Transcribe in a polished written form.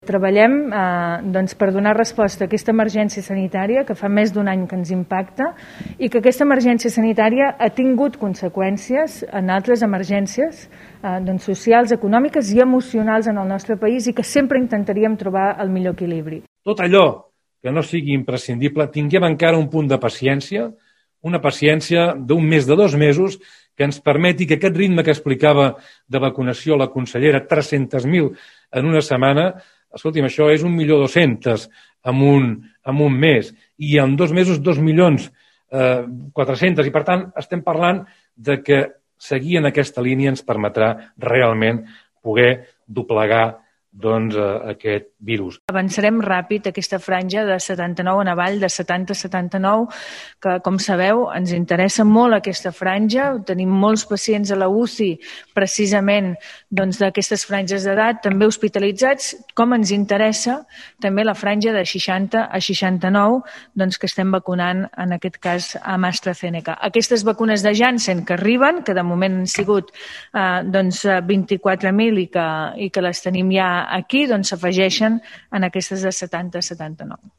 Treballem per donar resposta a aquesta emergència sanitària que fa més d'un any que ens impacta i que aquesta emergència sanitària ha tingut conseqüències en altres emergències socials, econòmiques i emocionals en el nostre país i que sempre intentaríem trobar el millor equilibri. Tot allò que no sigui imprescindible, tinguem encara un punt de paciència, una paciència d'un mes, de 2 mesos, que ens permeti que aquest ritme que explicava de vacunació la consellera, 300.000 en una setmana, escolti'm, això és 1.200.000 en un mes i en 2 mesos 2.400.000 i per tant estem parlant de que seguir en aquesta línia ens permetrà realment poder doblegar aquest virus. Avançarem ràpid aquesta franja de 79 en avall, de 70 a 79, que, com sabeu, ens interessa molt aquesta franja. Tenim molts pacients a la UCI, precisament d'aquestes franges d'edat, també hospitalitzats, com ens interessa també la franja de 60 a 69, que estem vacunant, en aquest cas, amb AstraZeneca. Aquestes vacunes de Janssen que arriben, que de moment han sigut 24.000 i que les tenim ja aquí, s'afegeixen en aquestes de 70 a 79.